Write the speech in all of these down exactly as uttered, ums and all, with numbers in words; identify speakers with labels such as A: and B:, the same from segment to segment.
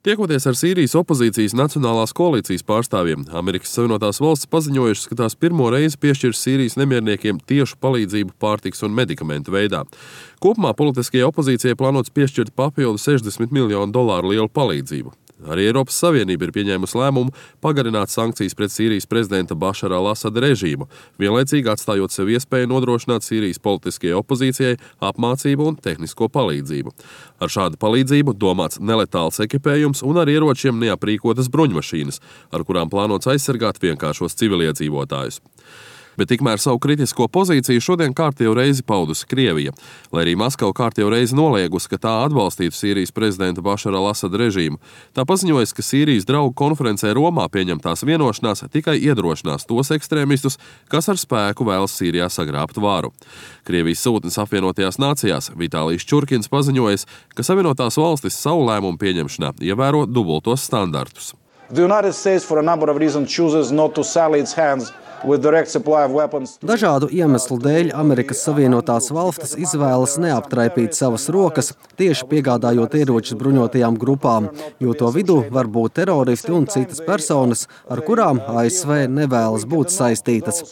A: Tiekoties ar Sīrijas opozīcijas Nacionālās koalīcijas pārstāvjiem, Amerikas Savienotās valstis paziņojušas, ka tās pirmo reizi piešķirs Sīrijas nemierniekiem tiešu palīdzību pārtikas un medikamentu veidā. Kopumā politiskajai opozīcijai plānots piešķirt papildu sešdesmit miljonu dolāru lielu palīdzību. Arī Eiropas Savienība ir pieņēmusi lēmumu pagarināt sankcijas pret Sīrijas prezidenta Bašara al-Asada režīmu, vienlaicīgi atstājot sev iespēju nodrošināt Sīrijas politiskajai opozīcijai apmācību un tehnisko palīdzību. Ar šādu palīdzību domāts neletāls ekipējums un ar ieročiem neaprīkotas bruņmašīnas, ar kurām plānots aizsargāt vienkāršos civiliedzīvotājus. Bet tikmēr savu kritisko pozīciju šodien kārtējo reizi paudusi Krievija, lai arī Maskava kārtējo reizi noliegusi, ka tā atbalstītu Sīrijas prezidenta Bašara al-Asada režīmu. Tā paziņojas, ka Sīrijas draugu konferencē Romā pieņemtās vienošanās tikai iedrošinās tos ekstrēmistus, kas ar spēku vēlas Sīrijā sagrābt varu. Krievijas sūtnis apvienotajās nācijās Vitālijs Čurkins paziņojas, ka Savienotās valstis savu lēmumu pieņemšanā ievēro dubultos standartus.
B: The United States for a number of reasons chooses not to sally its hands
C: Dažādu iemeslu dēļ Amerikas Savienotās valstis izvēlas neaptraipīt savas rokas, tieši piegādājot ieročus bruņotajām grupām, jo to vidū var būt teroristi un citas personas, ar kurām A S V nevēlas būt saistītas.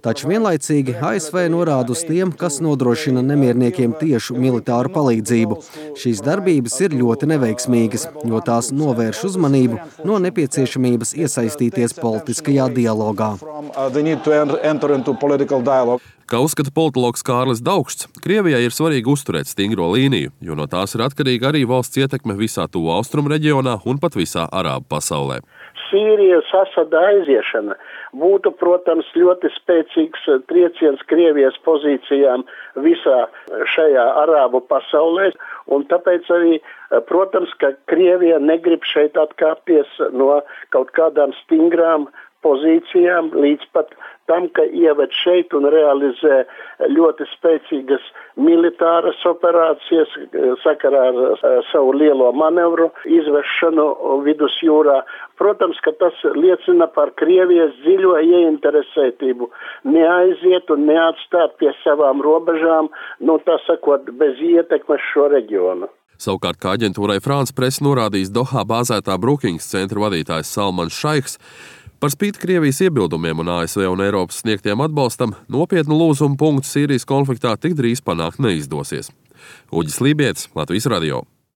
C: Taču vienlaicīgi A S V norāda uz tiem, kas nodrošina nemierniekiem tiešu militāru palīdzību. Šīs darbības ir ļoti neveiksmīgas, jo tās novērš uzmanību no nepieciešamības iesaistīties politiskajā dialogā.
A: Kā uzskata politologs Kārlis Daugšs, Krievijai ir svarīgi uzturēt stingro līniju, jo no tās ir atkarīga arī valsts ietekme visā tuvo austrumu reģionā un pat visā arābu pasaulē.
D: Sīrijas Asada aiziešana būtu, protams, ļoti spēcīgs trieciens Krievijas pozīcijām visā šajā arābu pasaulē, un tāpēc arī, protams, ka Krievija negrib šeit atkāpties no kaut kādām stingrām pozīcijām līdz pat tam, ka ieved šeit un realizē ļoti spēcīgas militāras operācijas sakarā ar savu lielo manevru izvešanu vidusjūrā. Protams, ka tas liecina par Krievijas dziļo ieinteresētību neaiziet un neatstāt pie savām robežām, nu tā sakot, bez ietekmes šo reģionu.
A: Savukārt, kā aģentūrai France Press norādījis Dohā bāzētā Brookings centra vadītājs Salmans Šaiks, par spīti Krievijas iebildumiem un A S V un Eiropas sniegtiem atbalstam, nopietnu lūzumu punktu Sīrijas konfliktā tik drīz panākt neizdosies. Uģis Lībietis, Latvijas radio.